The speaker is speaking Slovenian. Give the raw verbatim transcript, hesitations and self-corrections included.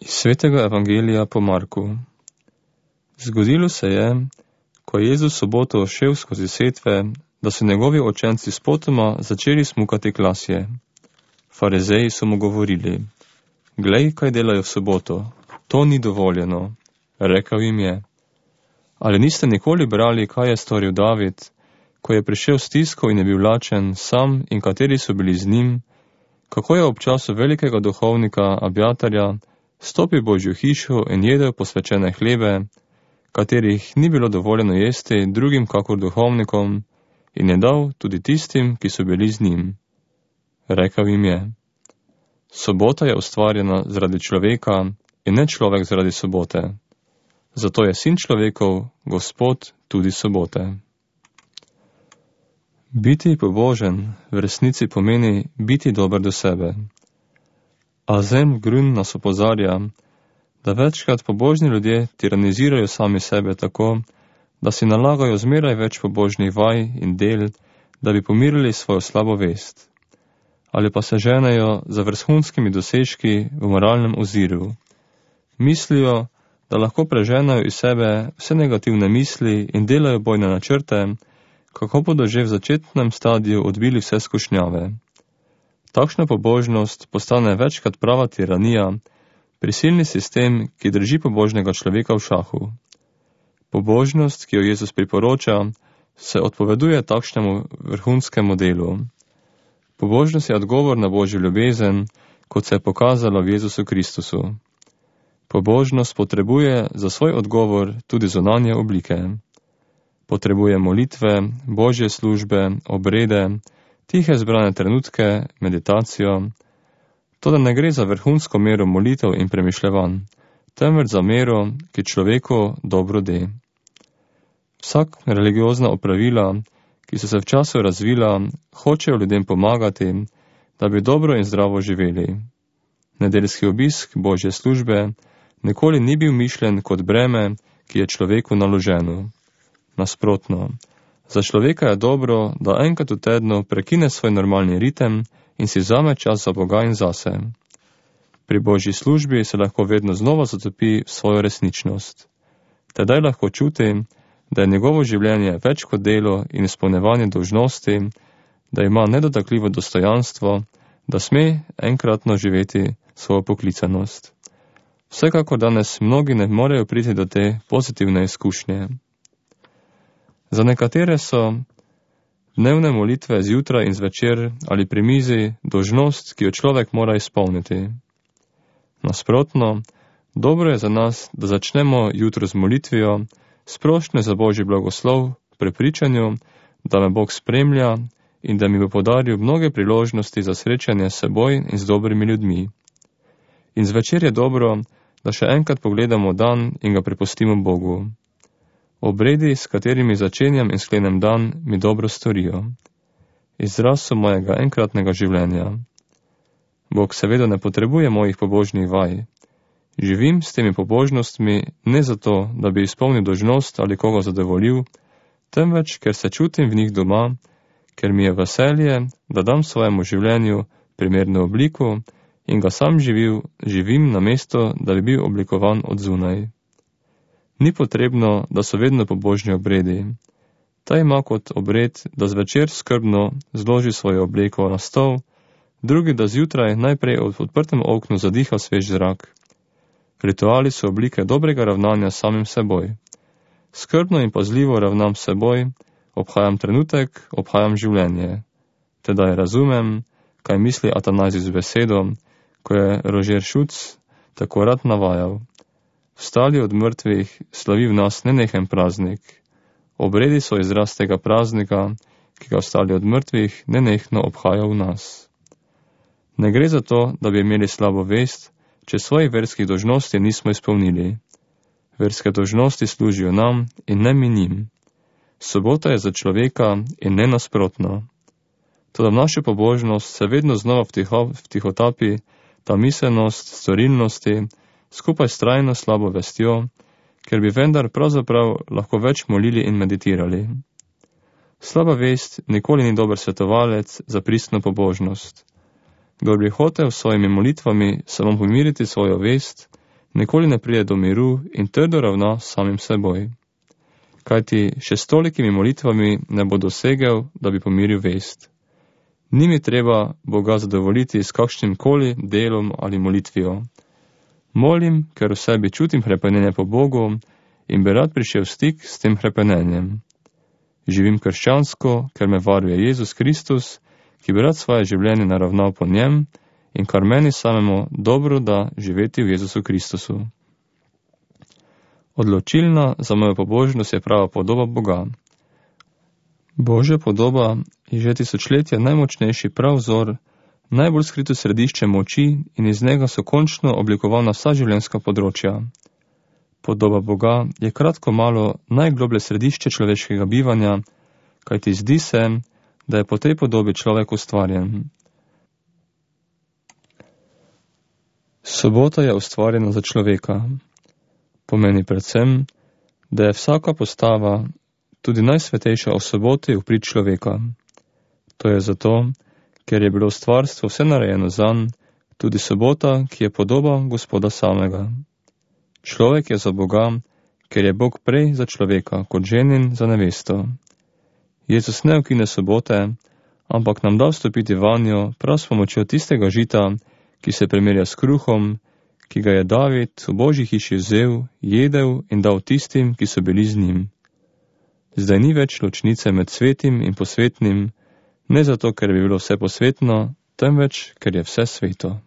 Iz svetega evangelija po Marku. Zgodilo se je, ko je Jezus soboto šel skozi setve, da so njegovi učenci spotoma začeli smukati klasje. Farizeji so mu govorili: Glej, kaj delajo v soboto, to ni dovoljeno. Rekel jim je: Ali niste nikoli brali, kaj je storil David, ko je prišel stisko in je bil lačen, sam in kateri so bili z njim, kako je ob času velikega duhovnika Abjatarja stopil v Božjo hišo in jedel posvečene hlebe, katerih ni bilo dovoljeno jesti drugim kakor duhovnikom, in je dal tudi tistim, ki so bili z njim. Rekel jim je: Sobota je ustvarjena zaradi človeka in ne človek zaradi sobote. Zato je sin človekov, Gospod, tudi sobote. Biti pobožen v resnici pomeni biti dober do sebe. Anselm Grün nas opozarja, da večkrat pobožni ljudje tiranizirajo sami sebe tako, da si nalagajo zmeraj več pobožnih vaj in del, da bi pomirili svojo slabo vest. Ali pa se ženejo za vrhunskimi dosežki v moralnem oziru. Mislijo, da lahko preženajo iz sebe vse negativne misli in delajo bojne načrte, kako bodo že v začetnem stadiju odbili vse skušnjave. Takšna pobožnost postane večkrat prava tiranija, prisilni sistem, ki drži pobožnega človeka v šahu. Pobožnost, ki jo Jezus priporoča, se odpoveduje takšnemu vrhunskemu delu. Pobožnost je odgovor na Božjo ljubezen, kot se je pokazalo v Jezusu Kristusu. Pobožnost potrebuje za svoj odgovor tudi zunanje oblike. Potrebuje molitve, Božje službe, obrede, tihe zbrane trenutke, meditacijo. Toda ne gre za vrhunsko mero molitev in premišljevanj, temveč za mero, ki človeku dobro de. Vsak religiozna opravila, ki so se v času razvila, hočejo ljudem pomagati, da bi dobro in zdravo živeli. Nedeljski obisk Božje službe nikoli ni bil mišljen kot breme, ki je človeku naloženo. Nasprotno, za človeka je dobro, da enkrat v tednu prekine svoj normalni ritem in si vzame čas za Boga in zase. Pri Božji službi se lahko vedno znova zatopi v svojo resničnost. Tedaj lahko čuti, da je njegovo življenje več kot delo in izpolnevanje dolžnosti, da ima nedotakljivo dostojanstvo, da sme enkratno živeti svojo poklicanost. Vsekakor danes mnogi ne morejo priti do te pozitivne izkušnje. Za nekatere so dnevne molitve zjutraj in zvečer ali pri mizi dolžnost, ki jo človek mora izpolniti. Nasprotno, dobro je za nas, da začnemo jutro z molitvijo, sprošnjo za Božji blagoslov, prepričanju, da me Bog spremlja in da mi bo podaril mnoge priložnosti za srečanje s seboj in z dobrimi ljudmi. In zvečer je dobro, da še enkrat pogledamo dan in ga prepustimo Bogu. Obredi, s katerimi začenjam in sklenem dan, mi dobro storijo. Izraz so mojega enkratnega življenja. Bog seveda ne potrebuje mojih pobožnih vaj. Živim s temi pobožnostmi ne zato, da bi izpolnil dolžnost ali koga zadovoljil, temveč, ker se čutim v njih doma, ker mi je veselje, da dam svojemu življenju primerno obliko in ga sam živil, živim na mesto, da bi bil oblikovan od zunaj. Ni potrebno, da so vedno pobožni obredi. Ta ima kot obred, da zvečer skrbno zloži svojo obleko na stol, drugi, da zjutraj najprej od odprtem oknu zadiha svež zrak. Rituali so oblike dobrega ravnanja samim seboj. Skrbno in pazljivo ravnam s seboj, obhajam trenutek, obhajam življenje. Tedaj razumem, kaj misli Atanazij z besedo, ko je Rožer Šuc tako rad navajal. Vstali od mrtvih slavi v nas nenehen praznik. Obredi so izraz tega praznika, ki ga vstali od mrtvih nenehno obhaja v nas. Ne gre za to, da bi imeli slabo vest, če svojih verskih dolžnosti nismo izpolnili. Verske dolžnosti služijo nam in ne mi njim. Sobota je za človeka in ne nasprotno. Toda v našo pobožnost se vedno znova vtiho, vtihotapi ta miselnost storilnosti, skupaj s trajno slabo vestjo, ker bi vendar pravzaprav lahko več molili in meditirali. Slaba vest nikoli ni dober svetovalec za pristno pobožnost. Kdor bi hotel s svojimi molitvami samo pomiriti svojo vest, nikoli ne pride do miru in trdo ravna s samim seboj. Kajti še s tolikimi molitvami ne bo dosegel, da bi pomiril vest. Ni mi treba Boga zadovoljiti s kakšnim koli delom ali molitvijo. Molim, ker v sebi čutim hrepenenje po Bogu in bi rad prišel v stik s tem hrepenenjem. Živim krščansko, ker me varuje Jezus Kristus, ki bi rad svoje življenje naravnal po njem in kar meni samemu dobro da živeti v Jezusu Kristusu. Odločilna za mojo pobožnost je prava podoba Boga. Božja podoba je že tisočletja najmočnejši prav vzor, najbolj skrito središče moči in iz njega so končno oblikovana vsa življenjska področja. Podoba Boga je kratko malo najgloblje središče človeškega bivanja, kajti zdi se, da je po tej podobi človek ustvarjen. Sobota je ustvarjena za človeka. Pomeni predvsem, da je vsaka postava, tudi najsvetejša o soboti, v prid človeka. To je zato, ker je bilo stvarstvo vse narejeno zanj, tudi sobota, ki je podoba Gospoda samega. Človek je za Boga, ker je Bog prej za človeka, kot ženin za nevesto. Jezus ne ukine sobote, ampak nam da vstopiti vanjo prav s pomočjo tistega žita, ki se primerja s kruhom, ki ga je David v Božji hiši vzel, jedel in dal tistim, ki so bili z njim. Zdaj ni več ločnice med svetim in posvetnim, ne zato, ker bi bilo vse posvetno, temveč, ker je vse sveto.